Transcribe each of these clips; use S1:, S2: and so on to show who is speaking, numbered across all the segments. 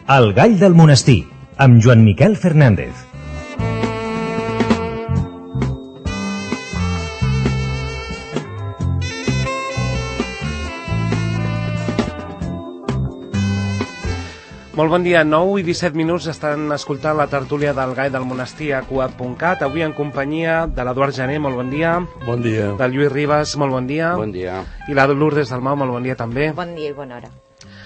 S1: El gall del monestir, amb Joan Miquel Fernández.
S2: Molt bon dia, 9 i 17 minuts estan escoltant la tertúlia del Gall del Monestir a cuap.cat, avui en companyia de l'Eduard Jané, molt bon dia.
S3: Bon dia.
S2: Del Lluís Ribas, molt bon dia.
S4: Bon dia.
S2: I la Lourdes Dalmau, molt bon dia també.
S5: Bon dia i bona hora.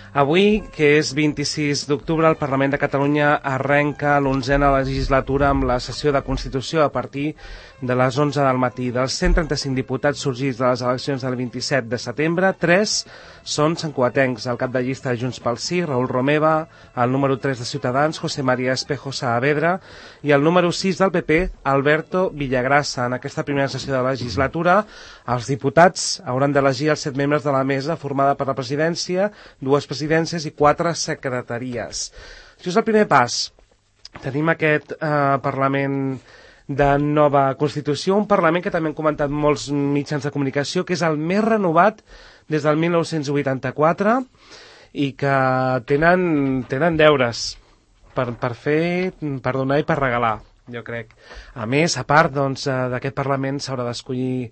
S2: Avui, que és 26 d'octubre, el Parlament de Catalunya arrenca l'11a legislatura amb la sessió de Constitució a partir de les 11 del matí. Dels 135 diputats sorgits de les eleccions del 27 de setembre, 3 són santcugatencs. El cap de llista de Junts pel Sí, Raül Romeva, el número 3 de Ciutadans, José María Espejo Saavedra, i el número 6 del PP, Alberto Villagrasa. En aquesta primera sessió de la legislatura, els diputats hauran d'elegir els 7 membres de la mesa formada per la presidència, 2 presidències i 4 secretaries. Això és el primer pas. Tenim aquest Parlament de nova Constitució, un Parlament que també han comentat molts mitjans de comunicació, que és el més renovat des del 1984 i que tenen deures per fer, per donar i per regalar, jo crec. A més, a part d'aquest Parlament s'haurà d'escollir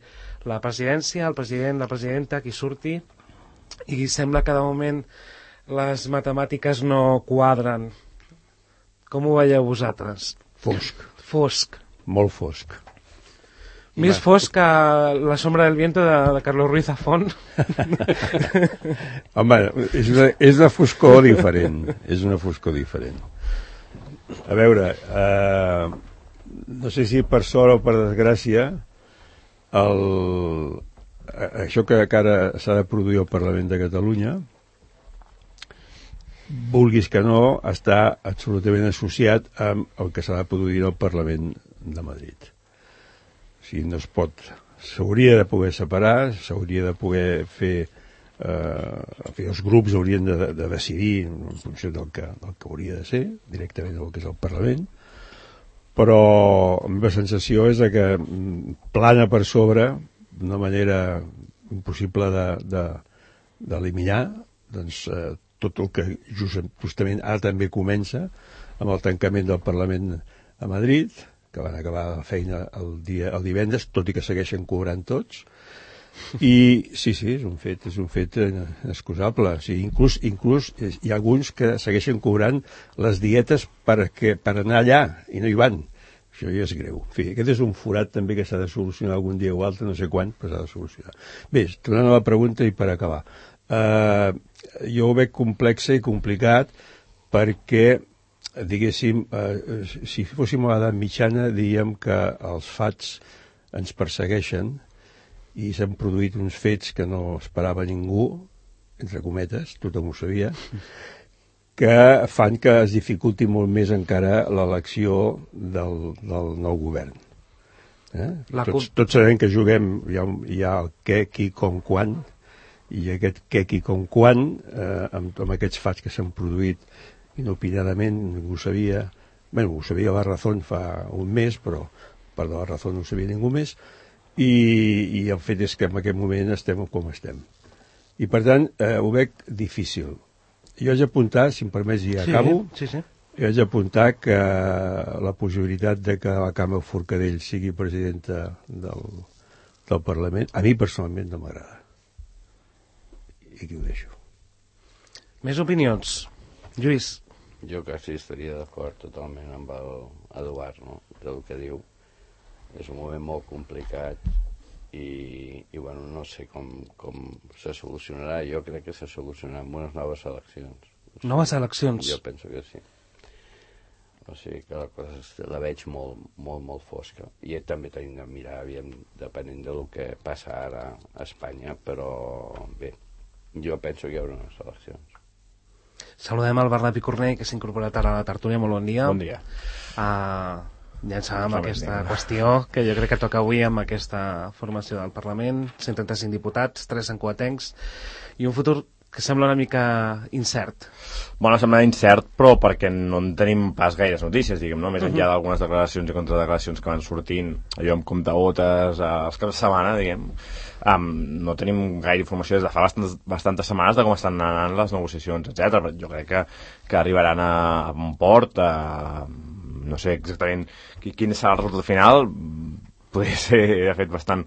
S2: la presidència, el president, la presidenta, qui surti, i sembla que de moment les matemàtiques no quadren. Com ho veieu vosaltres? Fosc.
S3: Molt fosc.
S2: Més fosc que La sombra del viento de Carlos Ruiz Zafón.
S3: Home, és una foscor diferent. És una foscor diferent. A veure, no sé si per sort o per desgràcia, això que ara s'ha de produir al Parlament de Catalunya, vulguis que no, està absolutament associat amb el que s'ha de produir al Parlament de Madrid. O sigui, no es pot... S'hauria de poder separar, s'hauria de poder fer... els grups haurien de decidir en funció del que hauria de ser, directament del que és el Parlament, però la meva sensació és que plana per sobre, d'una manera impossible d'eliminar, doncs tot el que justament ara també comença amb el tancament del Parlament a Madrid, que van acabar la feina el divendres, tot i que segueixen cobrant tots. I sí, és un fet inexcusable. O sigui, inclús hi ha alguns que segueixen cobrant les dietes per anar allà i no hi van. Això ja és greu. En fi, aquest és un forat també que s'ha de solucionar algun dia o altre, no sé quan, però s'ha de solucionar. Bé, tornant a la pregunta i per acabar. Jo ho veig complex i complicat perquè, diguéssim, si fóssim a l'edat mitjana, diríem que els fats ens persegueixen i s'han produït uns fets que no esperava ningú, entre cometes, tothom ho sabia, que fan que es dificulti molt més encara l'elecció del nou govern. Tots sabem que juguem, hi ha el què, qui, com, quan, i aquest què, qui, com, quan, amb aquests fats que s'han produït inopinadament, ningú ho sabia, ho sabia la Razón fa un mes, però per la Razón no ho sabia ningú més, i el fet és que en aquest moment estem com estem. I per tant, ho veig difícil. Jo haig d'apuntar, si em permets i acabo, jo haig d'apuntar que la possibilitat de que la Carme Forcadell sigui presidenta del Parlament, a mi personalment no m'agrada. I aquí ho deixo.
S2: Més opinions. Lluís.
S4: Jo quasi estaria d'acord totalment amb l'Eduard, no? Del que diu. És un moment molt complicat i bueno, no sé com se solucionarà. Jo crec que se solucionarà amb unes noves eleccions.
S2: Noves eleccions?
S4: Jo penso que sí. O sigui que la cosa la veig molt fosca. I també tenim de mirar, depenent del que passa ara a Espanya, però bé, jo penso que hi haurà unes eleccions.
S2: Saludem el Bernat Picornell, que s'ha incorporat ara a la tertúlia. Molt bon dia.
S6: Bon dia.
S2: Llançàvem aquesta qüestió que jo crec que toca avui amb aquesta formació del Parlament. 135 diputats, 3 santcugatencs i un futur que sembla una mica incert.
S5: Bueno, sembla incert, però perquè no en tenim pas gaires notícies, diguem, no? Més enllà d'algunes declaracions i contradeclaracions que van sortint, allò amb comptagotes, els caps de setmana, diguem, no tenim gaire informació des de fa bastantes setmanes de com estan anant les negociacions, etc. Jo crec que arribaran a un port, no sé exactament quin serà el resultat final, podria ser, de fet, bastant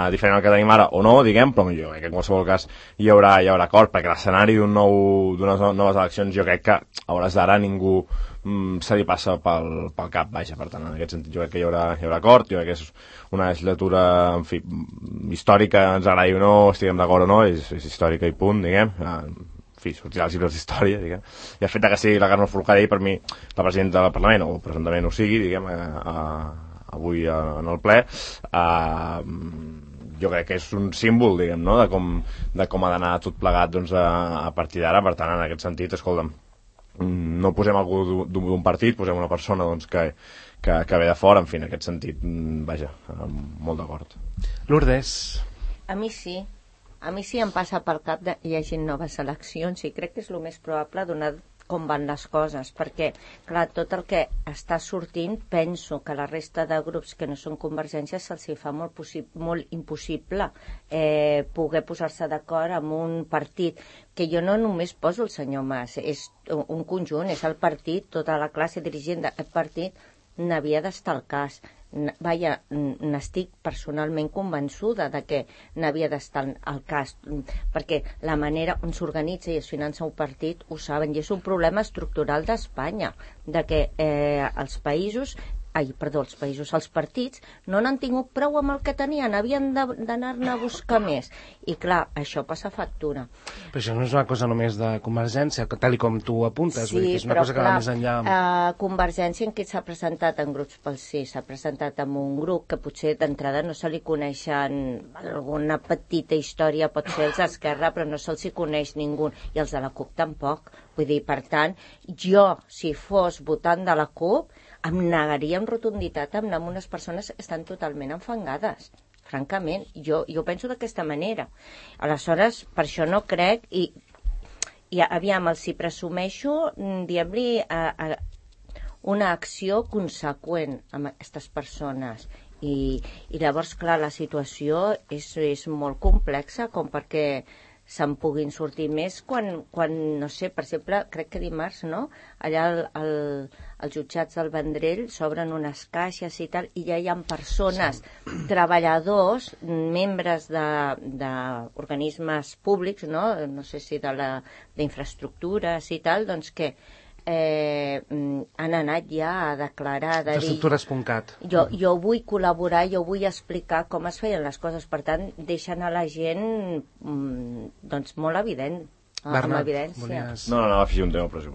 S5: diferent al que tenim ara, o no, diguem, però jo crec que en qualsevol cas hi haurà acord, perquè l'escenari d'unes noves eleccions jo crec que a hores d'ara ningú se li passa pel cap, vaja, per tant, en aquest sentit jo crec que hi haurà acord, jo crec que és una legislatura, en fi, històrica, ens agradi o no, estiguem d'acord o no, és històrica i punt, diguem, en fi, sortirà als llibres d'història, diguem, i el fet que sigui la Carme Forcadell, per mi, la presidenta del Parlament, o presumptament ho sigui, diguem, avui en el ple, jo crec que és un símbol, diguem, no?, de com ha d'anar tot plegat, doncs, a partir d'ara. Per tant, en aquest sentit, escolta'm, no posem algú d'un partit, posem una persona, doncs, que ve de fora, en fi, en aquest sentit, vaja, molt d'acord.
S2: Lourdes.
S6: A mi sí em passa pel cap de hi hagi noves eleccions i crec que és el més probable donat com van les coses, perquè, clar, tot el que està sortint, penso que la resta de grups que no són Convergència se'ls fa molt impossible poder posar-se d'acord amb un partit, que jo no només poso el senyor Mas, és un conjunt, és el partit, tota la classe dirigent d'aquest partit n'havia d'estar al cas. Vaja, n'estic personalment convençuda de que n'havia d'estar al cas, perquè la manera on s'organitza i es finança un partit ho saben, i és un problema estructural d'Espanya, de que els partits no n'han tingut prou amb el que tenien, havien d'anar-ne a buscar més, i clar, això passa factura.
S2: Però això no és una cosa només de Convergència, tal com tu apuntes, vull dir que és una cosa que va més enllà.
S6: Convergència en què s'ha presentat en grups pel sí, s'ha presentat en un grup que potser d'entrada no se li coneixen, alguna petita història pot ser els d'Esquerra, però no se'ls hi coneix ningú, i els de la CUP tampoc. Vull dir, per tant, jo, si fos votant de la CUP, em negaria amb rotunditat a anar amb unes persones que estan totalment enfangades. Francament, jo penso d'aquesta manera. Aleshores, per això no crec, i aviam, els hi presumeixo, diguem-li, una acció conseqüent amb aquestes persones. I llavors, clar, la situació és molt complexa, com perquè se'n puguin sortir més quan, no sé, per exemple, crec que dimarts, no?, allà als jutjats del Vendrell s'obren unes caixes i tal, i ja hi ha persones, treballadors, membres d'organismes públics, no sé si d'infraestructures i tal, doncs que han anat ja a declarar, de dir...
S2: Infraestructures.cat.
S6: Jo vull col·laborar, jo vull explicar com es feien les coses, per tant, deixen a la gent doncs molt evident, amb evidència.
S5: No, afegir un tema, però sí,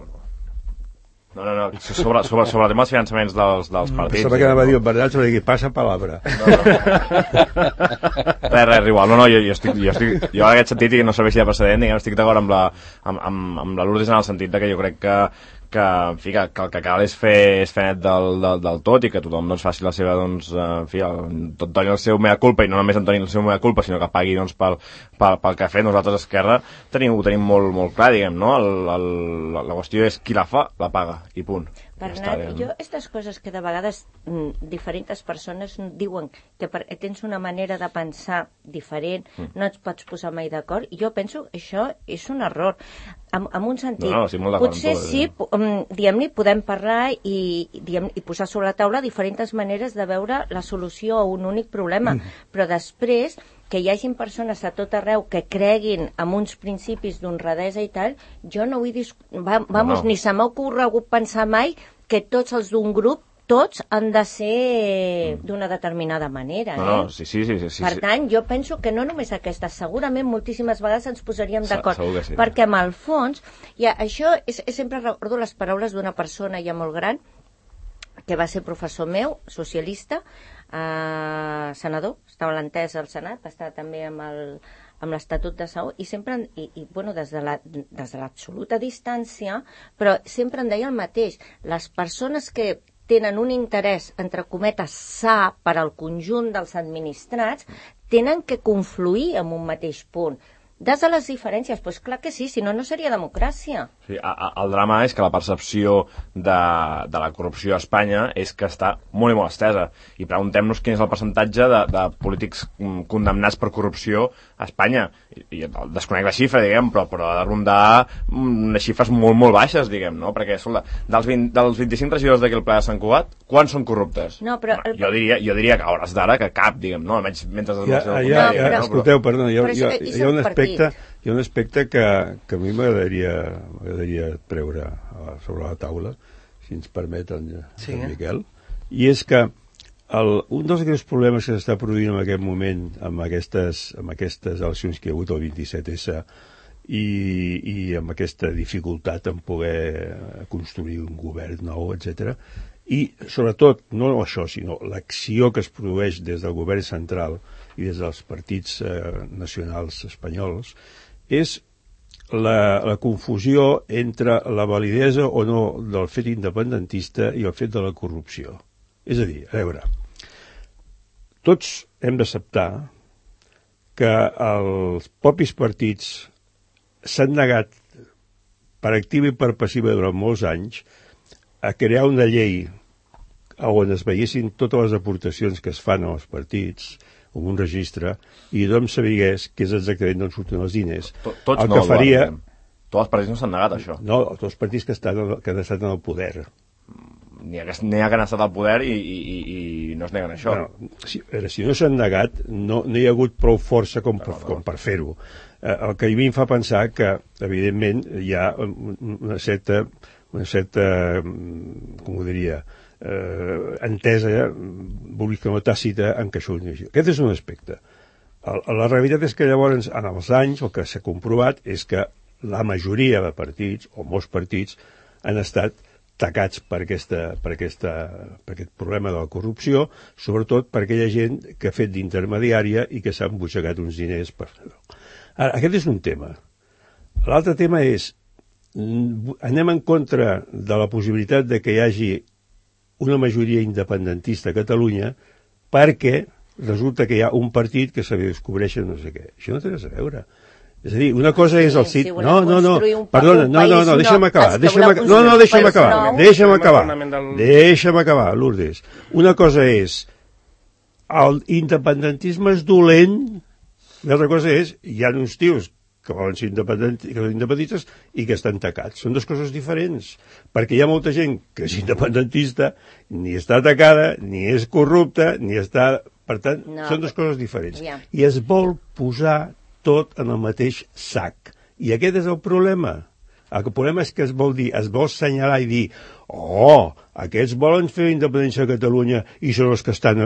S5: no, sobre el tema dels finançaments dels partits.
S3: Pensava que anava a dir el Bernat, sobre dir, passa palabra.
S5: Res, igual. No, jo en aquest sentit, i no serveixi de precedent, diguem, estic d'acord amb la Lourdes en el sentit que jo crec que el que cal és fer net del tot, i que tothom doncs, faci la seva, doncs, tot doni el seu mea culpa, i no només en doni el seu mea culpa, sinó que pagui, doncs, pel que ha fet. Nosaltres a Esquerra ho tenim molt clar, diguem, no? La qüestió és qui la fa, la paga, i punt.
S6: Bernat, jo aquestes coses que de vegades diferents persones diuen que tens una manera de pensar diferent, no et pots posar mai d'acord, i jo penso que això és un error, en un sentit. Potser sí, diguem-ne, podem parlar i posar sobre la taula diferents maneres de veure la solució a un únic problema, però després que hi hagin persones a tot arreu que creguin en uns principis d'honradesa i tal, jo no vull ni se m'ha ocorregut pensar mai que tots els d'un grup, tots han de ser d'una determinada manera.
S5: Sí.
S6: Per tant, jo penso que no només aquestes, segurament moltíssimes vegades ens posaríem d'acord, perquè amb el fons, això sempre recordo les paraules d'una persona ja molt gran, que va ser professor meu, socialista, senador, estava a l'entesa al Senat, va estar també amb l'Estatut de Sau, i sempre, des de l'absoluta distància, però sempre em deia el mateix, les persones que tenen un interès, entre cometes, sa per al conjunt dels administrats, tenen que confluir en un mateix punt. des de les diferències. Doncs clar que sí, si no, no seria democràcia.
S5: Sí, el drama és que la percepció de la corrupció a Espanya és que està molt i molt estesa. I preguntem-nos quin és el percentatge de polítics condemnats per corrupció a Espanya. I desconec la xifra, diguem, però ha de rondar unes xifres molt, molt baixes, diguem, no? Perquè, escolta, dels 25 regidors d'aquí al Pla de Sant Cugat, quants són corruptes?
S6: No, però...
S5: Jo diria que a hores d'ara que cap, diguem, no? Almenys mentre...
S3: Escolteu, perdona, hi ha un aspecte que a mi m'agradaria treure sobre la taula, si ens permet en Miquel, i és que un dels greus problemes que s'està produint en aquest moment amb aquestes eleccions que hi ha hagut el 27S i amb aquesta dificultat en poder construir un govern nou, etc. I sobretot, no això, sinó l'acció que es produeix des del govern central i des dels partits nacionals espanyols, és la confusió entre la validesa o no del fet independentista i el fet de la corrupció. És a dir, a veure, tots hem d'acceptar que els propis partits s'han negat per activa i per passiva durant molts anys a crear una llei on es veiessin totes les aportacions que es fan als partits, com un registre, i tothom sabigués què és exactament d'on surten els diners.
S5: Tots no, faria... Tots els partits no s'han negat, això.
S3: No, tots els partits que han estat en el poder.
S5: N'hi ha que han estat al poder i no es neguen això.
S3: Bueno, si no s'han negat, no hi ha hagut prou força com per fer-ho. El que a mi em fa pensar que, evidentment, hi ha una certa com ho diria, entesa, vull que no tàcita, en què això ho digui. Aquest és un aspecte. La realitat és que llavors, en els anys, el que s'ha comprovat és que la majoria de partits, o molts partits, han estat tacats per aquest problema de la corrupció, sobretot per aquella gent que ha fet d'intermediària i que s'ha embutxacat uns diners per fer-ho. Ara, aquest és un tema. L'altre tema és, anem en contra de la possibilitat de que hi hagi una majoria independentista a Catalunya perquè resulta que hi ha un partit que se li descobreix no sé què. Això no té res a veure. És a dir, una cosa és el CIT... No, perdona, deixa'm acabar. Deixa'm acabar, Lourdes. Una cosa és l'independentisme és dolent, l'altra cosa és hi ha uns tios que volen ser independentistes i que estan tacats. Són dues coses diferents, perquè hi ha molta gent que és independentista, ni està tacada, ni és corrupta, ni està... Per tant, són dues coses diferents. I es vol posar tot en el mateix sac. I aquest és el problema. El problema és que es vol assenyalar i dir aquests volen fer independència a Catalunya i són els que estan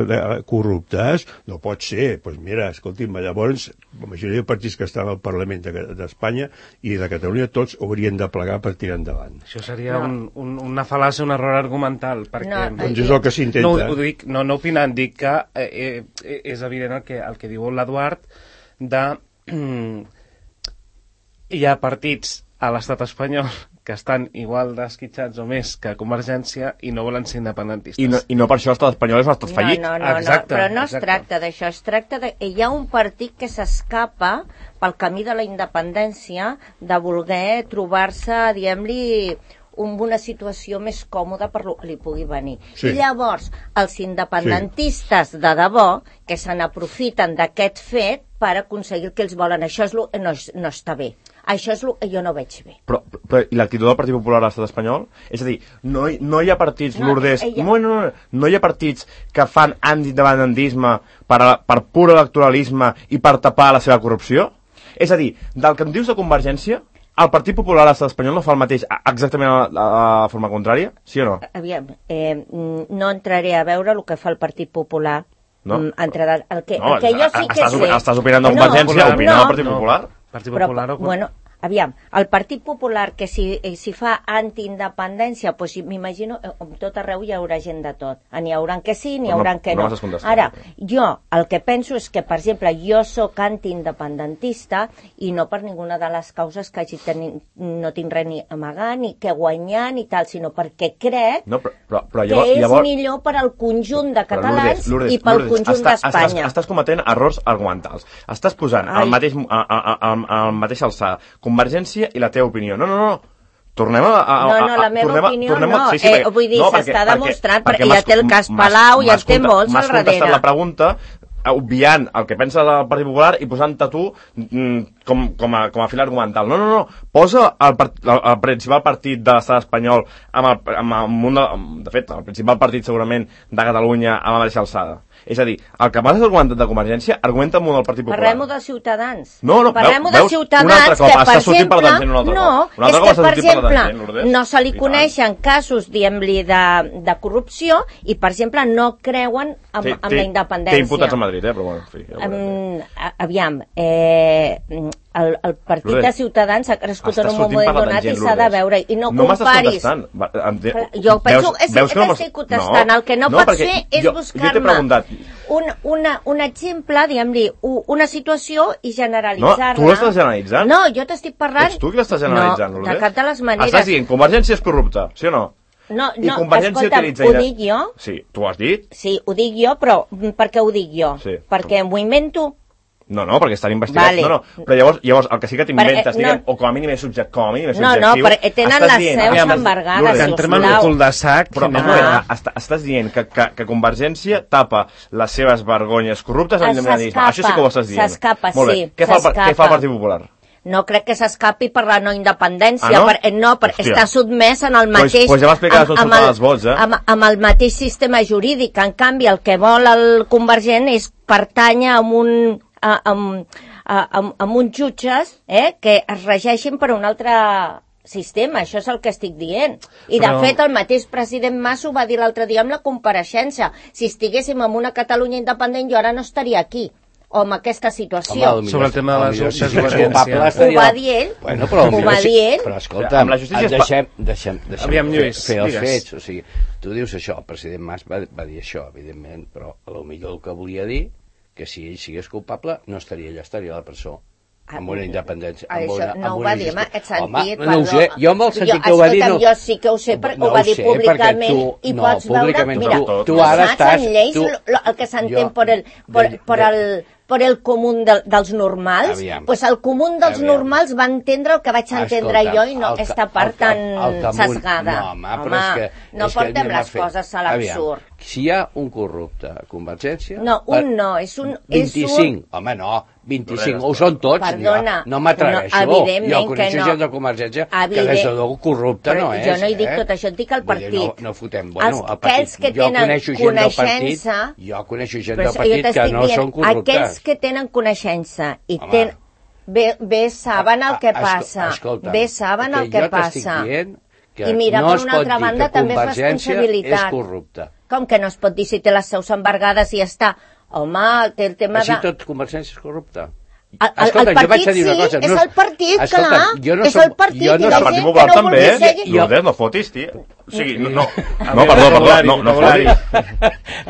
S3: corruptes? No pot ser. Doncs mira, escolti'm, llavors la majoria de partits que estan al Parlament d'Espanya i de Catalunya tots haurien de plegar per tirar endavant.
S2: Això seria una fal·làcia, un error argumental.
S3: Doncs és el que s'intenta.
S2: No opinant, dic que és evident el que diu l'Eduard hi ha partits a l'estat espanyol que estan igual d'esquitxats o més que Convergència i no volen ser independentistes.
S5: I no per això l'estat espanyol és un estat fallit.
S6: Exacte, però no es tracta d'això, es tracta de... Hi ha un partit que s'escapa pel camí de la independència de voler trobar-se, diguem-li, una situació més còmoda per lo que li pugui venir. Sí. I llavors, els independentistes de debò, que se n'aprofiten d'aquest fet per aconseguir el que ells volen. Això no està bé. Això és el que jo no veig bé.
S5: Però i l'actitud del Partit Popular a l'estat espanyol? És a dir, no hi ha partits, Lourdes... No hi ha partits que fan antiindependentisme per pur electoralisme i per tapar la seva corrupció? És a dir, del que em dius de Convergència, el Partit Popular a l'estat espanyol no fa el mateix exactament a la forma contrària? Sí o no? Aviam,
S6: no entraré a veure el que fa el Partit Popular.
S5: No?
S6: El que jo sí que sé...
S5: Estàs opinant de Convergència, opinant del Partit Popular?
S6: Bueno, Aviam, el Partit Popular, que si fa antiindependència, doncs m'imagino, tot arreu hi haurà gent de tot. N'hi haurà que sí, n'hi haurà que no. Ara, jo el que penso és que, per exemple, jo sóc antiindependentista i no per ninguna de les causes que no tinc res ni amagar, ni que guanyar, ni tal, sinó perquè crec que és millor per al conjunt de catalans i pel conjunt d'Espanya.
S5: Estàs cometent errors argumentals. Estàs posant al mateix alçada Convergència i la teva opinió. No. Tornem a...
S6: No, la meva opinió no. Vull dir, s'està demostrat, perquè ja té el cas Palau, ja té molts al darrere.
S5: M'has contestat la pregunta obviant el que pensa del Partit Popular i posant-te tu com a fil argumental. No. Posa el principal partit de l'estat espanyol de fet, el principal partit segurament de Catalunya a la mateixa alçada. És a dir, el que m'has argumentat de Convergència, argumenta molt del Partit Popular.
S6: Parlem-ho de Ciutadans.
S5: No,
S6: parlem-ho de Ciutadans, que, per exemple, no se li coneixen casos, diguem-li, de corrupció i, per exemple, no creuen amb la independència.
S5: Té imputats a Madrid, però bueno, en fi.
S6: Aviam, el partit de Ciutadans ha crescut en un moment donat i s'ha de veure, i no comparis. Jo penso que t'estic contestant. El que no pot ser és buscar-me un exemple, diguem-li, una situació i generalitzar-la.
S5: No, tu l'estàs generalitzant.
S6: No, jo t'estic parlant...
S5: Ets tu qui l'estàs generalitzant,
S6: No, de cap de les maneres.
S5: Estàs dient, Convergència és corrupta, sí o no?
S6: No, escolta'm, ho dic jo.
S5: Sí, tu ho has dit?
S6: Sí, ho dic jo, però per què ho dic jo? Perquè m'ho invento?
S5: No, perquè estan investigats. No, però llavors el que sí que t'inventes, diguem, o com a mínim és subjectiu...
S6: No, perquè tenen les seus embargades,
S2: sisplau. Entrem en un cul de sac...
S5: Però estàs dient que Convergència tapa les seves vergonyes corruptes amb l'independentisme. Això sí que ho estàs dient.
S6: S'escapa, sí.
S5: Què fa el Partit Popular?
S6: No crec que s'escapi per la no independència, perquè està sotmès en el mateix...
S5: Doncs ja m'explicaràs on surten els vots,
S6: amb el mateix sistema jurídic. En canvi, el que vol el Convergent és pertànyer amb uns jutges que es regeixin per un altre sistema. Això és el que estic dient. I, de fet, el mateix president Mas ho va dir l'altre dia amb la compareixença. Si estiguéssim en una Catalunya independent, jo ara no estaria aquí. O amb aquesta situació.
S2: Sobre el tema de les
S6: desobediències. Ho va dir ell. Ho va dir ell.
S7: Però escolta, deixem fer els fets. O sigui, tu dius això, el president Mas va dir això, evidentment, però potser el que volia dir que si ell sigués culpable no estaria allà, estaria a la presó. Amb una independència.
S6: Això no ho va dir en aquest sentit.
S7: No ho sé, jo amb el sentit que ho va dir...
S6: Jo sí que ho sé, perquè ho va dir públicament i pots veure... Mira,
S7: tu ara estàs...
S6: en lleis el que s'entén per el comú dels normals, doncs el comú dels normals va entendre el que vaig entendre jo i no aquesta part tan sesgada. Home, no portem les coses a l'absurd.
S7: Si hi ha un corrupte a Convergència...
S6: No, un no, és un...
S7: 25, home, no, 25, ho són tots.
S6: Perdona.
S7: No m'atreveixo. Jo coneixo gent de Convergència que des de l'ou corrupte no és.
S6: Jo no hi dic tot això, et dic el partit.
S7: No fotem, bueno, el partit.
S6: Aquells que tenen coneixença...
S7: Jo coneixo gent del partit que no són corruptes.
S6: Aquells que tenen coneixença i bé saben el que passa. Bé saben el que passa. I mira, per una altra banda, també és responsabilitat.
S7: És corrupte.
S6: Com que no es pot dir si té les seus embargades i ja està? Home, té el tema de...
S7: Així tot Convergència és corrupte.
S6: El partit sí, és el partit, clar. És el partit.
S5: I el Partit Popular també. Lourdes, no fotis, tia. O sigui, no, perdó, no fotis.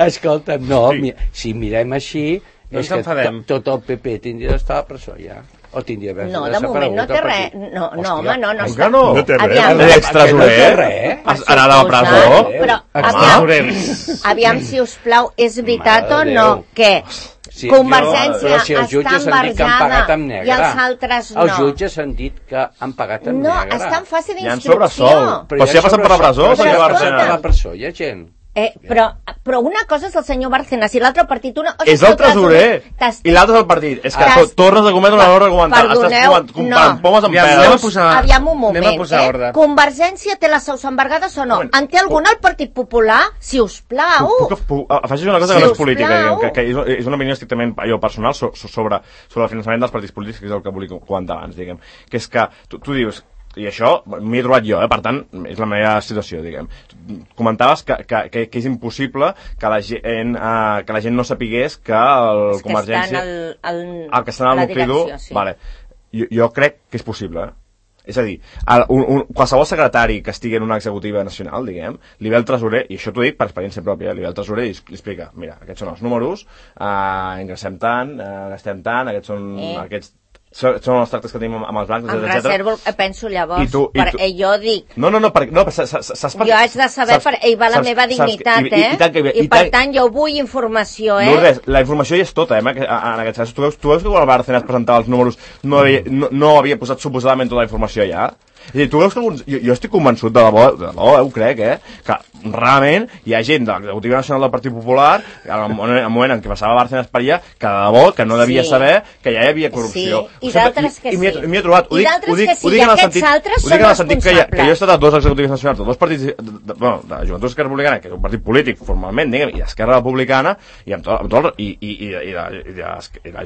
S7: Escolta, no, si mirem així, és que tot el PP tindria d'estar a la presó ja. O tindria d'haver
S6: desaparegut. No, de moment no té res. No, home, no.
S5: No té res. L'extresorer anava a la presó.
S6: Però, aviam, si us plau, és veritat o no que Convergència està embargada i els altres no.
S7: Els jutges han dit que han pagat en negre.
S6: No, està en fase d'instrucció.
S5: Però si ha passat per la presó, senyor Bárcenas.
S7: Per la presó hi ha gent.
S6: Però una cosa és el senyor Bárcenas i l'altre partit...
S5: És el tresorer i l'altre és el partit. És que tornes a cometre un error argumental.
S6: Perdoneu, no. Aviam un moment. Convergència té les seus embargades o no? En té alguna al Partit Popular? Si us plau.
S5: Afegeix una cosa que no és política, que és una opinió estrictament personal sobre el finançament dels partits polítics, que és el que volia comentar abans, diguem. Que és que tu dius... I això m'hi he trobat jo, per tant, és la meva situació, diguem. Comentaves que és impossible que la gent no sapigués que el Convergència...
S6: El
S5: que està en el nucli dur...
S6: Sí.
S5: Vale. jo crec que és possible, És a dir, qualsevol secretari que estigui en una executiva nacional, diguem, li ve el tresorer, i això t'ho dic per experiència pròpia, li ve el tresorer i li explica, mira, aquests són els números, ingressem tant, gastem tant, aquests són els tractes que tenim amb els bancs,
S6: etc. Em reservo, penso llavors, jo dic...
S5: No, saps per...
S6: Jo haig de saber, hi va la meva dignitat, I per tant jo vull informació,
S5: Lourdes, la informació ja és tota, en aquest cas. Tu veus que quan el Bárcenas presentava els números no havia posat suposadament tota la informació allà? És a dir, tu veus que alguns... Jo estic convençut, de debò, ho crec, que realment hi ha gent de l'Executiva Nacional del Partit Popular, al moment en què passava Bárcenas per allà, que de debò, que no devia saber que ja hi havia corrupció.
S6: Sí, i d'altres que sí.
S5: I m'hi he trobat, ho dic
S6: en el sentit
S5: que hi he estat a dos executives nacionals, de dos partits, de Joventut Esquerra Republicana, que és un partit polític formalment, diguem, i d'Esquerra Republicana, i la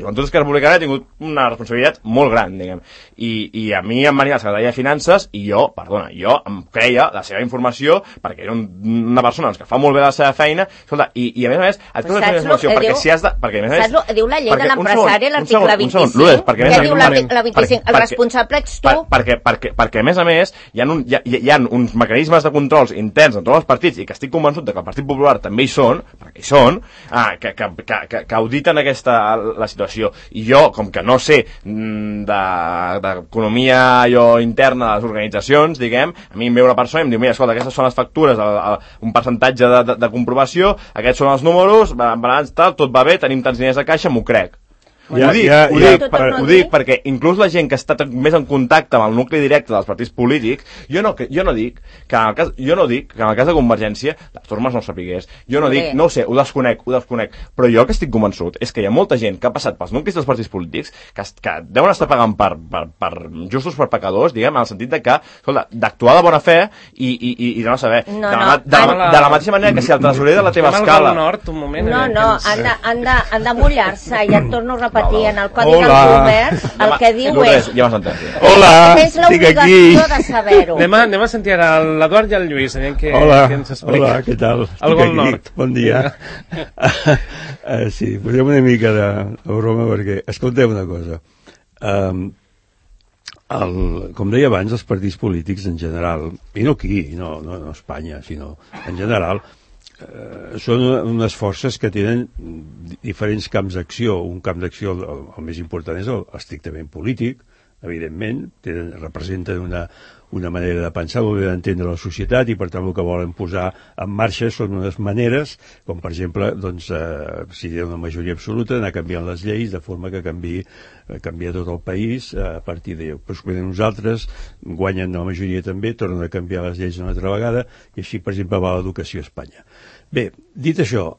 S5: Joventut Esquerra Republicana ha tingut una responsabilitat molt gran, diguem. I a mi em venia la secretària de Finances i jo em creia la seva informació perquè era una persona que fa molt bé la seva feina, escolta, i a més et dono la informació perquè si has de...
S6: Saps, diu la llei de l'empresari, l'article 25,
S5: què
S6: diu la 25? El responsable ets tu.
S5: Perquè a més hi ha uns mecanismes de controls interns en tots els partits i que estic convençut que el Partit Popular també hi són, perquè hi són, que auditen la situació. I jo, com que no sé d'economia interna de les organitzacions, diguem, a mi em ve una persona i em diu, mira, escolta, aquestes són les factures, un percentatge de comprovació, aquests són els números, balanç tal, tot va bé, tenim tants diners a caixa, m'ho crec. Ho dic perquè inclús la gent que està més en contacte amb el nucli directe dels partits polítics, jo no dic que en el cas de Convergència les Tormes no ho sapigués, jo no dic, no ho sé, ho desconec, però jo que estic convençut és que hi ha molta gent que ha passat pels nuclis dels partits polítics que deuen estar pagant per justos per pecadors, diguem, en el sentit de que, escolta, d'actuar de bona fe i de no saber. De la mateixa manera que si el tresorer de la teva escala...
S6: Han de mullar-se, ja et torno a repetir, en el Codi del Comerç, el que diu és...
S5: Ja m'has entès.
S3: Hola,
S6: tens l'obligació de saber-ho.
S2: Anem a sentir ara l'Eduard i el Lluís, aviam què ens explica.
S3: Hola, què tal?
S2: Algo al nord.
S3: Bon dia. Sí, posem una mica de broma perquè, escolteu una cosa. Com deia abans, els partits polítics en general, i no aquí, no a Espanya, sinó en general, són unes forces que tenen diferents camps d'acció. Un camp d'acció, el més important, és l'estrictament polític, evidentment, representen una manera de pensar, una manera d'entendre la societat, i per tant el que volen posar en marxa són unes maneres, com per exemple, doncs, si hi ha una majoria absoluta, anar canviant les lleis de forma que canvia tot el país a partir d'allò. Però quan nosaltres guanyen la majoria també, tornen a canviar les lleis una altra vegada, i així, per exemple, va l'educació a Espanya. Bé, dit això,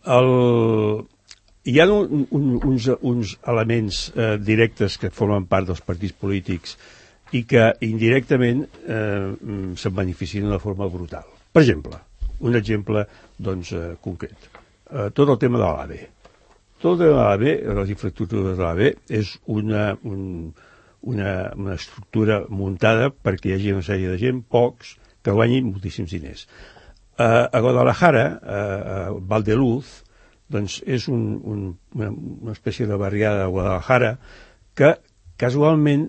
S3: hi ha uns elements directes que formen part dels partits polítics i que indirectament se'n beneficien d'una forma brutal. Per exemple, un exemple concret, tot el tema de l'AVE. Tot el tema de l'AVE, les infraestructures de l'AVE, és una estructura muntada perquè hi hagi una sèrie de gent, pocs, que guanyin moltíssims diners. A Guadalajara, a Valdeluz, doncs és una espècie de barriada de Guadalajara que casualment,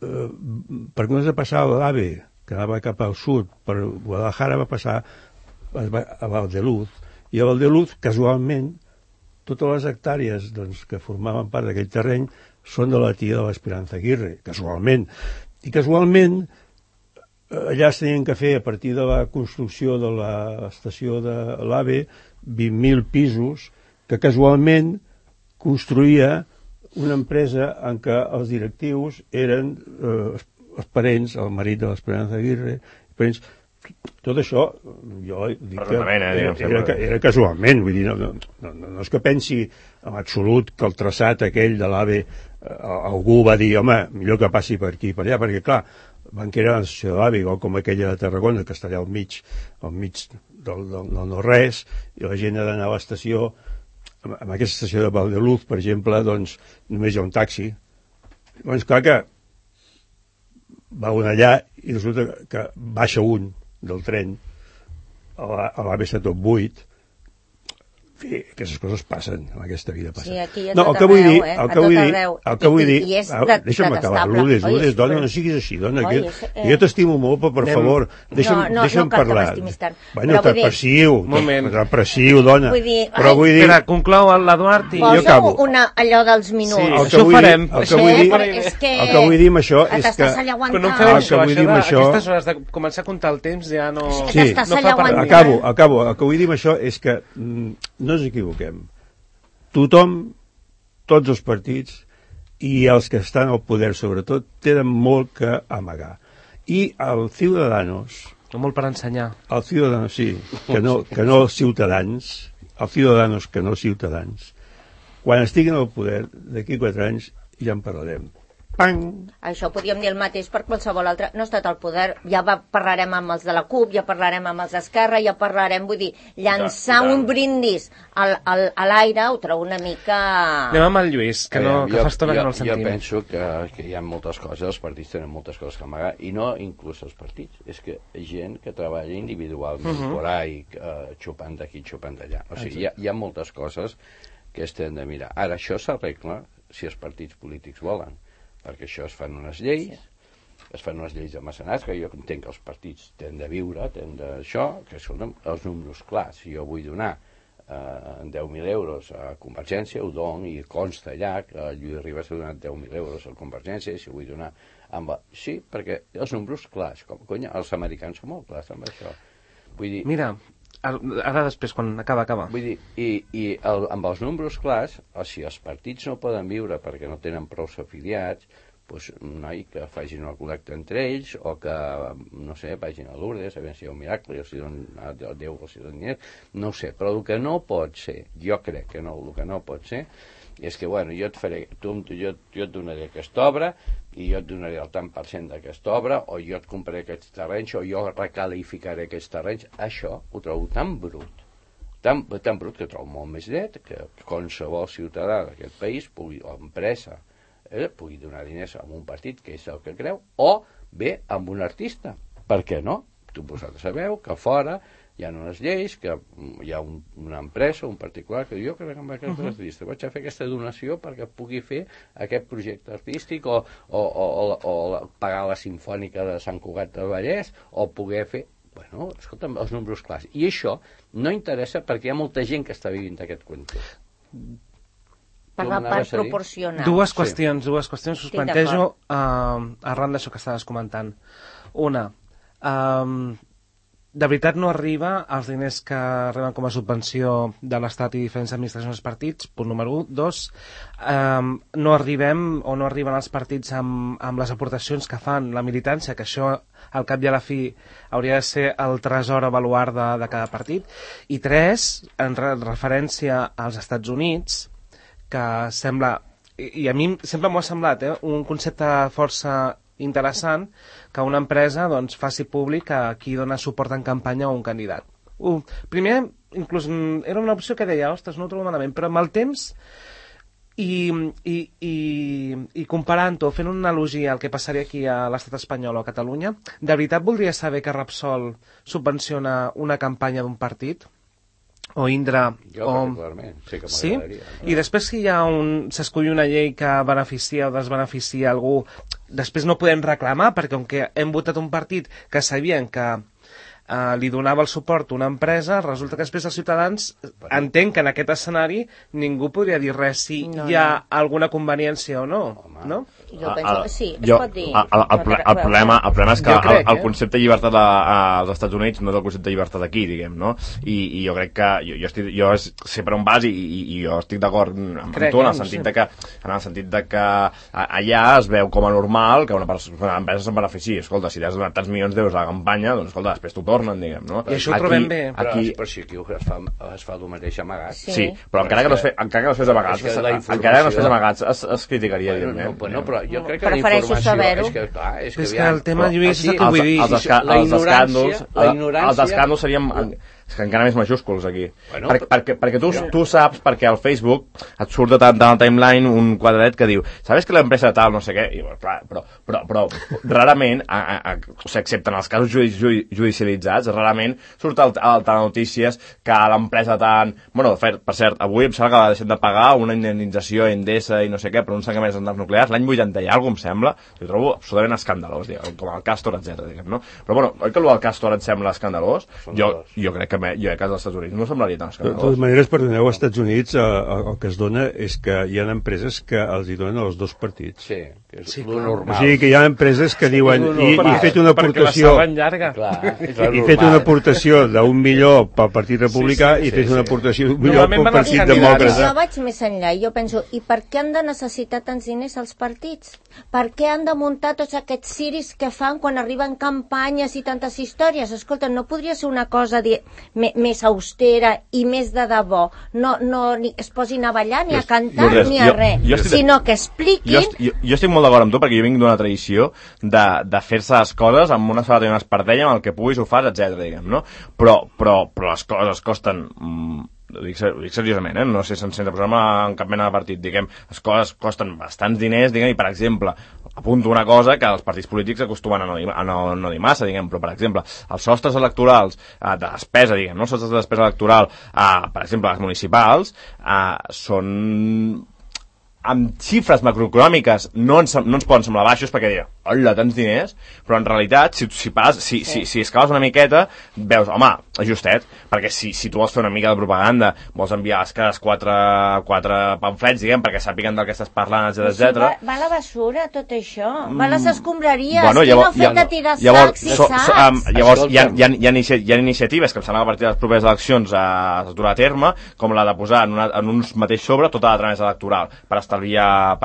S3: perquè no es passava l'AVE, que anava cap al sud per Guadalajara, va passar a Valdeluz, i a Valdeluz, casualment, totes les hectàrees que formaven part d'aquell terreny són de la tia de l'Esperanza Aguirre, casualment. I casualment allà es tenien que fer, a partir de la construcció de l'estació de l'AVE, 20.000 pisos que casualment construïa una empresa en què els directius eren els parents, el marit de l'Esperanza Aguirre, parents. Tot això, jo dic que era casualment, vull dir, no és que pensi en absolut que el traçat aquell de l'AVE algú va dir, home, millor que passi per aquí i per allà, perquè clar, van crear una estació de l'AVE, igual com aquella de Tarragona, que està allà al mig del no-res, i la gent ha d'anar a l'estació. En aquesta estació de Valdeluz, per exemple, doncs només hi ha un taxi. Doncs clar que va un allà i resulta que baixa un del tren a l'AVE està tot buit, aquestes coses passen, en aquesta vida passen.
S6: Sí, aquí és
S3: no,
S6: el que vull dir,
S3: el que vull dir, deixa'm acabar, Lourdes, dona, no siguis així, dona, jo t'estimo molt, però per favor, deixa'm parlar. Bueno, repressiu, dona. Però vull dir...
S2: Espera, conclou l'Eduard i jo acabo.
S6: Posa allò dels minuts.
S2: Això ho farem.
S3: El que vull dir amb això és que...
S2: Però no feu això, aquestes hores de començar a comptar el temps ja no fa per mi.
S3: Acabo. El que vull dir amb això és que no ens equivoquem. Tothom, tots els partits i els que estan al poder, sobretot, tenen molt que amagar. I el Ciudadanos...
S2: Molt per ensenyar.
S3: El Ciudadanos, sí, que no els ciutadans, el Ciudadanos que no els ciutadans, quan estiguin al poder, d'aquí 4 anys, ja en parlarem. Pang!
S6: Això podríem dir el mateix per qualsevol altre. No ha estat al poder, ja parlarem amb els de la CUP, ja parlarem amb els d'Esquerra, ja parlarem, vull dir, llançar un brindis a l'aire ho trobo una mica...
S2: Anem amb el Lluís, que fa estona que no el sentim.
S7: Jo penso que hi ha moltes coses, els partits tenen moltes coses que amagar, i no inclús els partits, és que gent que treballa individualment por ahí, xupant d'aquí, xupant d'allà. O sigui, hi ha moltes coses que es tenen de mirar. Ara, això s'arregla si els partits polítics volen, perquè això es fan unes lleis, de mecenats, que jo entenc que els partits tenen de viure, tenen d'això, que són els números clars. Si jo vull donar 10.000 euros a Convergència, ho dono, i consta allà que el Lluís Ribas ha donat 10.000 euros a Convergència, i si vull donar... Sí, perquè els números clars, els americans són molt clars amb això. Vull dir...
S2: Mira, ara després, quan acaba.
S7: Vull dir, i amb els números clars, o si els partits no poden viure perquè no tenen prou afiliats, doncs, noi, que facin una col·lecta entre ells, o que, no sé, vagin a Lourdes, a veure si hi ha un miracle, o si Déu els dona diners, no ho sé, però el que no pot ser, jo crec que no, el que no pot ser, és que, bueno, jo et donaré aquesta obra, i jo et donaré el tant per cent d'aquesta obra, o jo et compraré aquests terrenys, o jo recalificaré aquests terrenys. Això ho trobo tan brut, tan brut, que trobo molt més net, que qualsevol ciutadà d'aquest país, o empresa, pugui donar diners a un partit, que és el que creu, o bé amb un artista. Per què no? Vosaltres sabeu que fora hi ha unes lleis, que hi ha una empresa, un particular, que diu, jo crec que amb aquest artista vaig a fer aquesta donació perquè pugui fer aquest projecte artístic, o pagar la Simfònica de Sant Cugat del Vallès, o poder fer... Bueno, escolta'm, els números clars. I això no interessa perquè hi ha molta gent que està vivint aquest cuento.
S6: Per la part proporcional.
S2: Dues qüestions us plantejo arran d'això que estaves comentant. Una, de veritat no arriba els diners que reben com a subvenció de l'Estat i diferents administracions dels partits, punt número 1. 2, no arriben els partits amb les aportacions que fan la militància, que això al cap i a la fi hauria de ser el tresor a baluard de cada partit. I 3, en referència als Estats Units, que sembla, i a mi sempre m'ho ha semblat, un concepte força interessant, que una empresa doncs, faci públic a qui dona suport en campanya a un candidat. Primer, inclús era una opció que deia, ostres, no ho trobo malament, però amb el temps i comparant-ho, fent una analogia al que passaria aquí a l'estat espanyol o a Catalunya, de veritat voldria saber que Repsol subvenciona una campanya d'un partit? O Indra...
S7: Jo particularment, sí que m'agradaria.
S2: Sí? I després si s'escull una llei que beneficia o desbeneficia algú, després no podem reclamar, perquè com que hem votat un partit que sabien que li donava el suport a una empresa, resulta que després els ciutadans entenc que en aquest escenari ningú podria dir res si hi ha alguna conveniència o no, no?
S6: Jo penso que sí, es pot dir.
S5: El problema és que el concepte de llibertat als Estats Units no és el concepte de llibertat aquí, diguem, no? I jo crec que jo sé per on vas i jo estic d'acord amb tu en el sentit de que allà es veu com a normal que una empresa se'n benefici. Escolta, si has donat tants milions d'euros a la campanya, doncs escolta, després t'ho tornen, diguem, no?
S2: I això ho trobem bé.
S7: Però si aquí es fa el mateix amagat.
S5: Sí, però encara que no es fes amagats, es criticaria, evidentment.
S7: Bueno, però jo crec que
S6: prefereixo saber-ho.
S2: És que el tema, Lluís, és el que vull dir.
S5: Els escàndols serien És que encara més majúsculs aquí. Bueno, perquè tu saps, perquè al Facebook et surt de tant al timeline un quadradet que diu, sabes que l'empresa tal, no sé què, i, clar, però rarament, excepte en els casos judicialitzats, rarament surt al Telenotícies que l'empresa tant... Bueno, per cert, avui em sembla que va deixar de pagar una indemnització a Endesa i no sé què, per uns tancaments centrals nuclears, l'any 80 i alguna cosa em sembla, ho trobo absolutament escandalós, diguem, com el Castor, etc. No? Però bueno, oi que el Castor et sembla escandalós? Jo crec que als Estats Units no semblaria tan escandalós.
S3: De totes maneres, perdoneu, als Estats Units el que es dona és que hi ha empreses que els hi donen els dos partits.
S7: Sí, que és lo normal.
S3: O sigui que hi ha empreses que diuen i fet una aportació i fet una aportació d'1 milió pel Partit Republicà i fet una aportació d'1 milió pel Partit Demòcrata.
S6: Jo vaig més enllà i jo penso, i per què han de necessitar tants diners els partits? Per què han de muntar tots aquests ciris que fan quan arriben campanyes i tantes històries? Escolta, no podria ser una cosa més austera i més de debò? No ni es posin a ballar, ni a cantar, ni a res, sinó que expliquin...
S5: Jo estic molt d'acord amb tu, perquè jo vinc d'una tradició de fer-se les coses amb una sabata i una espardenya, amb el que puguis ho fas, etc. diguem, no? Però les coses costen... Ho dic seriosament, no sé sense posar-me en cap mena de partit, diguem, les coses costen bastants diners, diguem, i per exemple, apunto una cosa que els partits polítics acostumen a no dir massa, diguem, però per exemple, els sostres electorals de despesa, diguem, no? Els sostres de despesa electoral, per exemple, les municipals, són... amb xifres macroeconòmiques no ens poden semblar baixos perquè dirà, hola, tants diners, però en realitat si escales una miqueta veus, home, ajustet, perquè si tu vols fer una mica de propaganda, vols enviar les cases quatre pamflets, diguem, perquè sàpiguen del que estàs parlant, etc.
S6: Va a la basura tot això, va a les escombraries, qui no ha fet de tirar sacs i sacs?
S5: Llavors hi ha iniciatives que em sembla que a partir de les properes eleccions es durà a terme, com la de posar en un mateix sobre tota la tramesa electoral per estalviar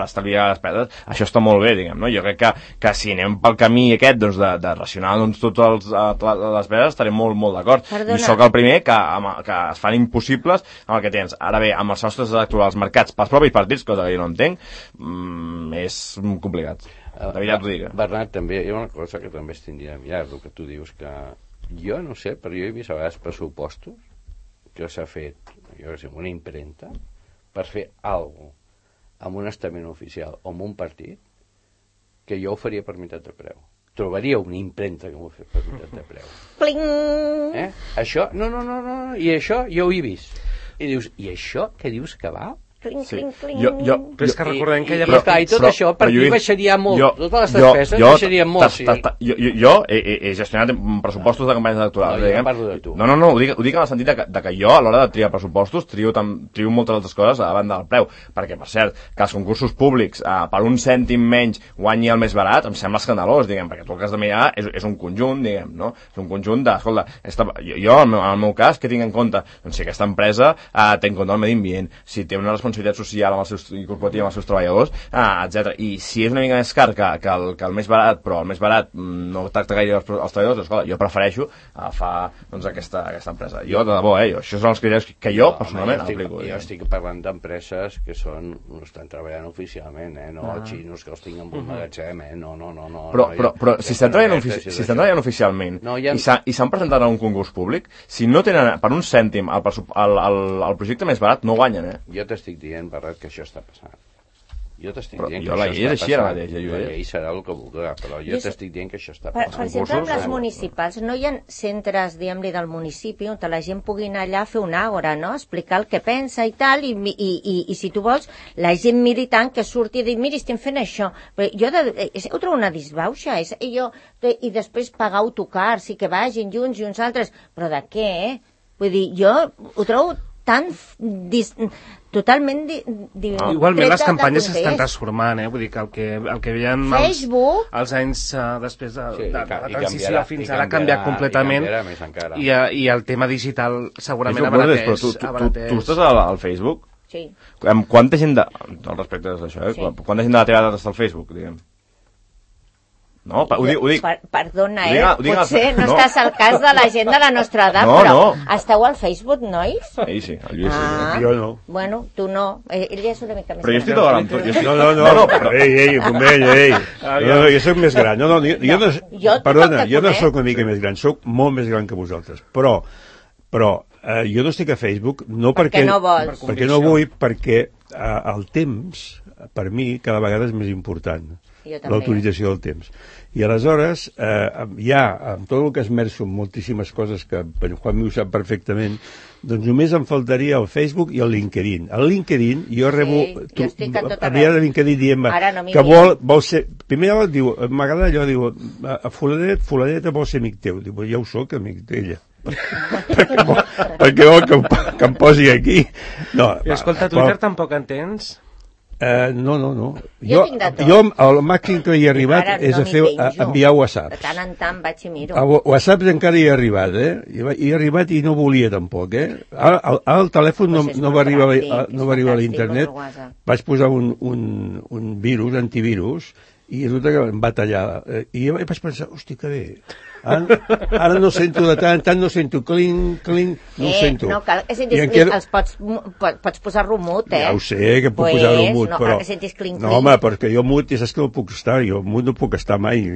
S5: despeses. Això està molt bé, diguem, no? Jo crec que si anem pel camí aquest, doncs, de racionar totes les despeses, estaré molt, molt d'acord. I sóc el primer que es fan impossibles amb el que tens. Ara bé, amb els sostres electorals marcats pels propis partits, cosa que jo no entenc, és complicat. De veritat ho dic.
S7: Bernat, també hi ha una cosa que també es tindria a mirar, el que tu dius, que jo no sé, però jo he vist a vegades pressupostos que s'ha fet, jo que sé, una impremta per fer alguna cosa amb un estament oficial o amb un partit que jo ho faria per meitat de preu. Trobaria una impremta que m'ho fa per meitat de preu.
S6: Pling!
S7: Això, no, i això jo ho he vist. I dius, i això què dius que val?
S6: Cling, cling, cling.
S2: Però és que recordem que ja...
S7: I tot això per mi baixaria molt. Totes les despeses baixarien molt.
S5: Jo he gestionat pressupostos de campanyes electorals.
S7: No, jo parlo de tu.
S5: No, ho dic en el sentit de que jo, a l'hora de triar pressupostos, trio moltes altres coses a banda del preu. Perquè, per cert, que els concursos públics per un cèntim menys guanyi el més barat, em sembla escandalós, diguem, perquè tu el que has de mirar és un conjunt, diguem, no? És un conjunt de... Escolta, jo, en el meu cas, què tinc en compte? Doncs si aquesta empresa té en compte el medi ambient, si té una responsabilitat social i corporativa amb els seus treballadors, etc. I si és una mica més car que el més barat, però el més barat no tracta gaire els treballadors, escolta, jo prefereixo agafar aquesta empresa. Jo, de debò, això són els criteris que jo personalment aplico.
S7: Jo estic parlant d'empreses que no estan treballant oficialment, no xinos que els tinguin en un magatzem, no.
S5: Però si estan treballant oficialment i s'han presentat a un concurs públic, si no tenen per un cèntim el projecte més barat, no guanyen,
S7: Jo t'estic dient, Barret, que això està passant. Jo t'estic dient que
S5: això està
S7: passant.
S5: La
S7: llei serà el que vulgui, però jo t'estic dient que això està passant.
S6: Per exemple, amb les municipals, no hi ha centres, diguem-li, del municipi on la gent pugui anar allà a fer una àgora, no? Explicar el que pensa i tal, i si tu vols, la gent militant que surti i dir, mira, estem fent això. Però jo ho trobo una disbauxa, i després pagar autocars i que vagin junts i uns altres. Però de què, Vull dir, jo ho trobo tan totalment
S2: igualment les campanyes s'estan transformant, vull dir que el que veiem els anys després de la transició fins ara ha canviat completament i el tema digital segurament abarateix.
S5: Tu estàs al Facebook?
S6: Sí.
S5: Quanta gent respecte d'això, quanta gent de la teva edat està al Facebook, diguem? No, ho dic.
S6: Perdona, potser no estàs al cas de la gent de la nostra edat, però esteu al Facebook, nois?
S5: Sí, el Lluís sí.
S3: Jo no.
S6: Bueno, tu no. Ell és una mica més
S5: gran. Però jo estic d'acord amb tu.
S3: No. Ei, Pomell, ei. Jo soc més gran. Perdona, jo no soc una mica més gran, soc molt més gran que vosaltres. Però Però jo no estic a Facebook, no perquè
S6: no vols.
S3: Perquè no vull, perquè el temps, per mi, cada vegada és més important. L'autorització del temps. I aleshores, ja, amb tot el que esmerço en moltíssimes coses que en Juanmi ho sap perfectament, doncs només em faltaria el Facebook i el LinkedIn. El LinkedIn, jo rebo...
S6: jo estic a tot arreu.
S3: Havia de LinkedIn dient que vol ser... Primer diu, m'agrada allò, diu, fulaneta vol ser amic teu. Diu, ja ho soc, amic d'ella. perquè vol que em posi aquí. No,
S2: I escolta, Twitter tampoc en tens?
S3: No. Jo el màxim que hi he arribat és a enviar WhatsApp.
S6: De tant en tant vaig i miro.
S3: WhatsApp encara hi he arribat, Hi he arribat i no volia tampoc, Ara el telèfon no va arribar a l'internet. Vaig posar un virus, antivirus, i resulta que em va tallar. I jo vaig pensar, hosti, que bé. Ara no sento de tant en tant, no sento clinc, no ho sento.
S6: No cal que sentis clinc, els pots posar mut,
S3: Ja ho sé, que puc posar mut, però...
S6: No cal que sentis clinc.
S3: No, home, perquè jo mut, saps que no puc estar, jo mut no puc estar mai,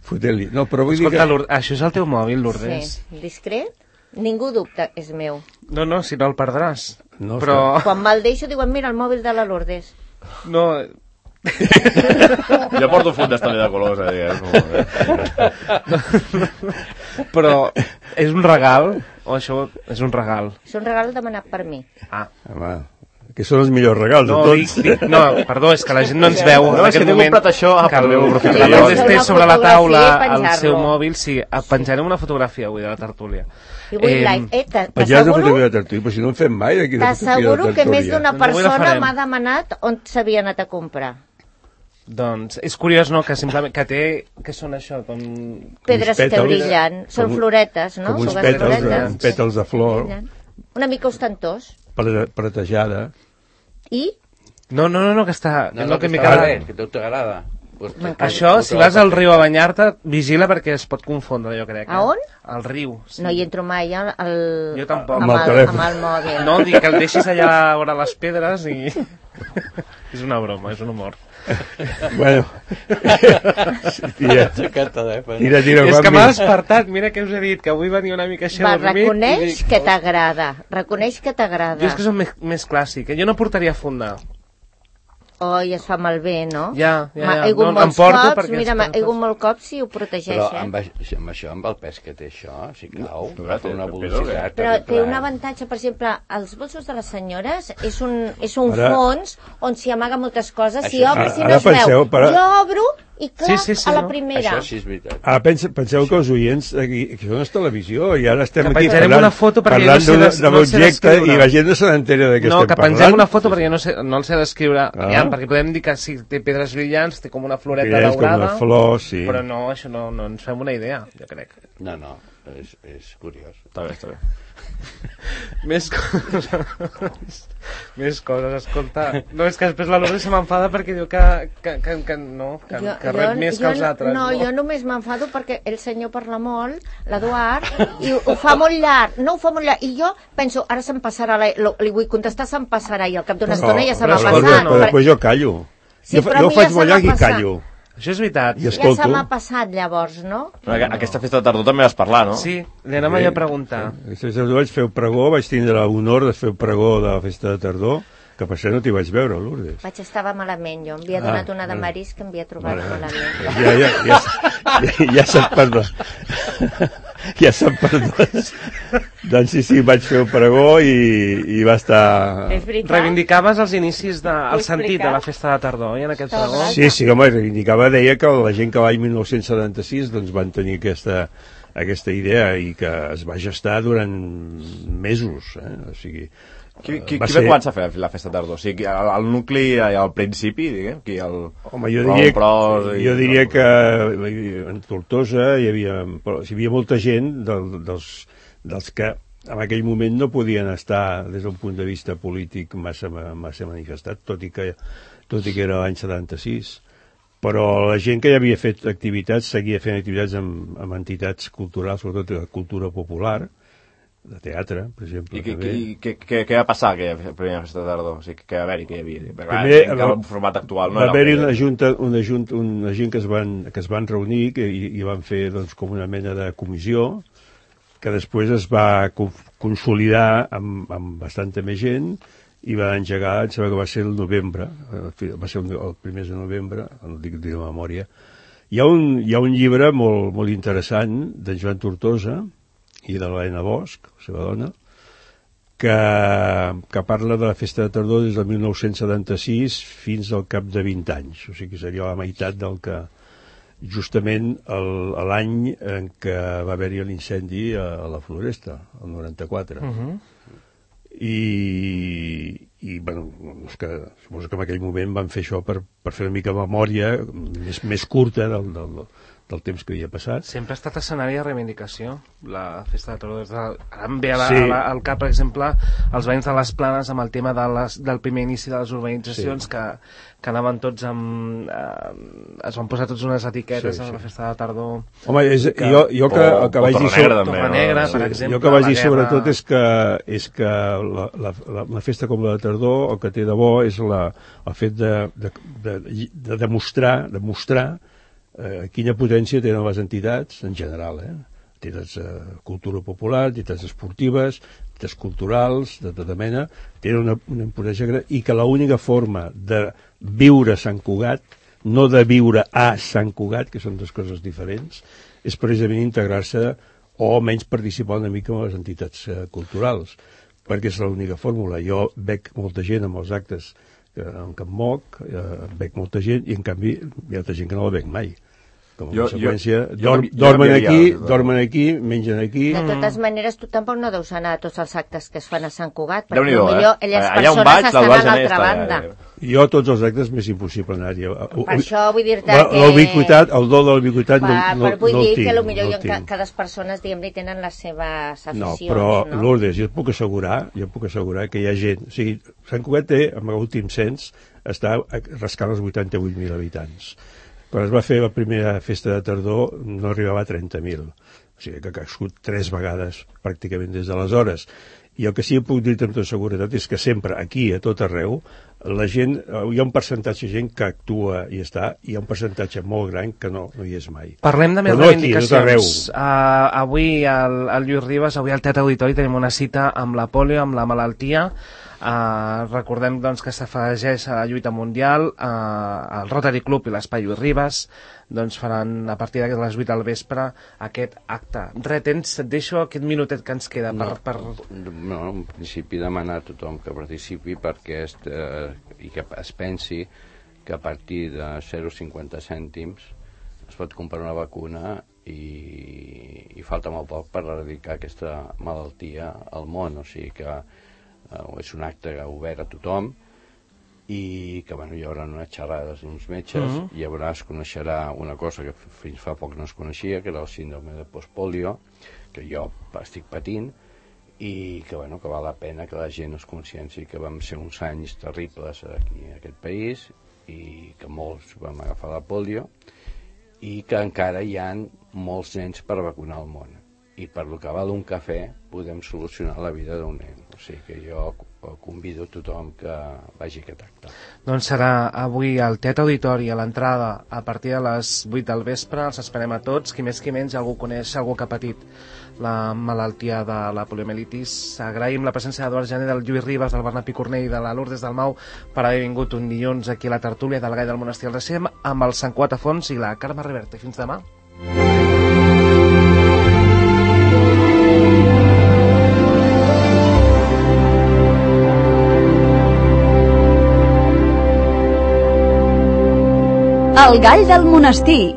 S3: fotent-li. No, però vull dir que...
S2: Escolta, això és el teu mòbil, Lourdes?
S6: Sí, discret? Ningú dubta, és meu.
S2: No, si no el perdràs.
S3: Però...
S6: Quan me'l deixo diuen, mira, el mòbil de la Lourdes.
S2: No...
S5: Jo porto un font d'estoli de colors,
S2: Però és un regal o això és un regal?
S6: És un regal demanat per mi.
S3: Home, que són els millors regals de tots.
S2: No, perdó, és que la gent no ens veu en aquest moment
S5: això,
S2: que la Lourdes té sobre la taula el seu mòbil. Sí, penjarem una fotografia avui de la tertúlia.
S6: I vull like.
S3: Però si no en fem mai d'aquí de fotografia de tertúlia.
S6: T'asseguro que més d'una persona m'ha demanat on s'havia anat a comprar.
S2: Doncs és curiós, no?, que simplement que té... Què són això? Com...
S6: Pedres que brillen. Són floretes, no?
S3: Com uns pètals de flor.
S6: Una mica ostentós.
S3: Pretejada.
S6: I?
S2: No, que està...
S7: No, que a tu t'agrada.
S2: Això, si vas al riu a banyar-te, vigila perquè es pot confondre, jo crec.
S6: A on?
S2: Al riu.
S6: Sí. No hi entro mai
S2: jo tampoc.
S6: amb el mòbil.
S2: No, dic que el deixis allà a veure les pedres i... És una broma, és un humor.
S3: Bueno. Tira,
S2: és que m'ha despertat, mira què us he dit, que avui venia una mica així dormit.
S6: Reconeix que t'agrada. Reconeix que t'agrada.
S2: Jo és que som més clàssic, jo no portaria a fondar.
S6: I es fa malbé, no?
S2: Ja.
S6: He hagut molts cops, mira, he hagut molts cops i ho protegeix,
S7: Però amb això, amb el pes que té això, si cau, va fer una velocitat.
S6: Però té un avantatge, per exemple, els bolsos de les senyores és un fons on s'hi amaga moltes coses, si obres i no es veu. Jo obro i clar, a la primera.
S7: Això sí és veritat.
S3: Penseu que els oients aquí són a televisió i ara estem aquí
S2: parlant
S3: de l'objecte i la gent no se n'entera de què estem parlant.
S2: No, que pengem una foto perquè no el sé descriure, perquè podem dir que sí, té pedres brillants, té com una floreta daurada,
S3: com una flor, sí.
S2: Però no, això no ens fem una idea, jo crec.
S7: No, és curiós.
S5: Està bé.
S2: Més coses, escolta. No, és que després la Lourdes se m'enfada perquè diu que rep més que els altres.
S6: No, jo només m'enfado perquè el senyor parla molt, l'Eduard, i ho fa molt llarg. No ho fa molt llarg. I jo penso, ara se'm passarà, li vull contestar, se'm passarà, i al cap d'una estona ja se m'ha passat.
S3: Però després jo callo. Jo faig molt llarg i callo.
S2: Això és veritat.
S6: Ja se m'ha passat, llavors, no?
S5: Aquesta festa de tardor també vas parlar, no?
S2: Sí, li anem allà a preguntar.
S3: Aquesta festa de tardor vaig fer el pregó, vaig tindre l'honor de fer el pregó de la festa de tardor, que per això no t'hi vaig veure, Lourdes.
S6: Estava malament, jo. Em havia donat una de marisc que em havia trobat malament.
S3: Ja se't perdó. Ja se't perdó. Doncs sí, vaig fer el pregó i va estar...
S2: Reivindicaves els inicis, el sentit de la festa de tardor, en aquest pregó?
S3: Sí, home, reivindicava, deia que la gent que l'any 1976 doncs van tenir aquesta idea i que es va gestar durant mesos, o sigui...
S5: Qui va començar a fer la festa de tardor? O sigui, el nucli al principi, diguem?
S3: Home, jo diria que en Tortosa hi havia molta gent dels que en aquell moment no podien estar des d'un punt de vista polític massa manifestat, tot i que era l'any 76. Però la gent que ja havia fet activitats seguia fent activitats amb entitats culturals, sobretot de cultura popular, de teatre, per exemple.
S5: I què va passar aquella primera festa de tardor? O sigui, què va haver-hi, què hi havia? Primer, el format actual no
S3: va haver-hi una gent que es van reunir i van fer com una mena de comissió que després es va consolidar amb bastanta més gent i va engegar, em sembla que va ser el novembre, va ser el primer de novembre, no dic de memòria. Hi ha un llibre molt interessant d'en Joan Tortosa i de l'Helena Bosch, la seva dona, que parla de la festa de tardor des del 1976 fins al cap de 20 anys, o sigui que seria la meitat del que justament l'any en què va haver-hi l'incendi a la Floresta, el 94. I bueno, suposo que en aquell moment van fer això per fer una mica memòria més curta del temps que havia passat.
S2: Sempre ha estat escenari de reivindicació, la festa de tardor. Ara em ve al cap, per exemple, els veïns de les Planes amb el tema del primer inici de les urbanitzacions, que anaven tots amb... es van posar tots unes etiquetes a la festa de tardor.
S3: Home, jo que vaig dir...
S2: Torre Negra, per exemple.
S3: Jo que vaig dir sobretot és que la festa com la de tardor el que té de bo és el fet de demostrar quina potència tenen les entitats en general, entitats de cultura popular, entitats esportives, entitats culturals, de tota mena, tenen una potència gran, i que l'única forma de viure a Sant Cugat, no de viure a Sant Cugat, que són dues coses diferents, és precisament integrar-se o almenys participar una mica en les entitats culturals, perquè és l'única fórmula. Jo veig molta gent amb els actes en què em moc, veig molta gent, i en canvi hi ha altra gent que no la veig mai. Com a conseqüència, dormen aquí, mengen aquí.
S6: De totes maneres, tu tampoc no deus anar a tots els actes que es fan a Sant Cugat, perquè
S5: potser
S6: elles persones estan a l'altra banda.
S3: Jo a tots els actes m'és impossible anar-hi.
S6: Per això vull dir-te que...
S3: L'ubiquitat, el do de l'ubiquitat no el tinc.
S6: Vull dir que potser cada persones, diguem-ne, tenen les seves aficions.
S3: No, però Lourdes, jo et puc assegurar que hi ha gent... O sigui, Sant Cugat té, amb l'últim cens, està rascant els 88.000 habitants. Quan es va fer la primera festa de tardor no arribava a 30.000. O sigui que ha crescut 3 vegades pràcticament des d'aleshores. I el que sí que puc dir amb tota seguretat és que sempre, aquí, a tot arreu, la gent, hi ha un percentatge de gent que actua i està, i hi ha un percentatge molt gran que no hi és mai.
S2: Parlem de més reivindicacions. Avui al Lluís Ribas, avui al Teatre Auditori tenim una cita amb la pòlio, amb la malaltia. Recordem doncs, que s'afegeix a la lluita mundial, el Rotary Club i l'Espai Lluís Ribas doncs, faran a partir de les 8 del vespre aquest acte. Et deixo aquest minutet que ens queda
S4: No, en principi demanar a tothom que participi perquè i que es pensi que a partir de 0,50 cèntims es pot comprar una vacuna i falta molt poc per erradicar aquesta malaltia al món, o sigui que és un acte obert a tothom i que hi haurà unes xerrades d'uns metges, i es coneixerà una cosa que fins fa poc no es coneixia, que era el síndrome de postpolio, que jo estic patint, i que val la pena que la gent es conscienci que vam ser uns anys terribles aquí en aquest país i que molts vam agafar la polio i que encara hi ha molts nens per vacunar al món, i per lo que val un cafè podem solucionar la vida d'un nen. O sigui que jo convido a tothom que vagi a aquest acte.
S2: Doncs serà avui al Teatre Auditori, a l'entrada, a partir de les 8 del vespre. Els esperem a tots, qui més qui menys, algú coneix, algú que ha patit la malaltia de la poliomielitis. Agraïm la presència d'Eduard Jané, del Lluís Ribas, del Bernat Picornell i de la Lourdes Dalmau per haver vingut un dilluns aquí a la tertúlia del Gai del Monestir al Recem amb el Sant Cugat a fons i la Carme Reverte. Fins demà.
S8: El Gall del Monestir,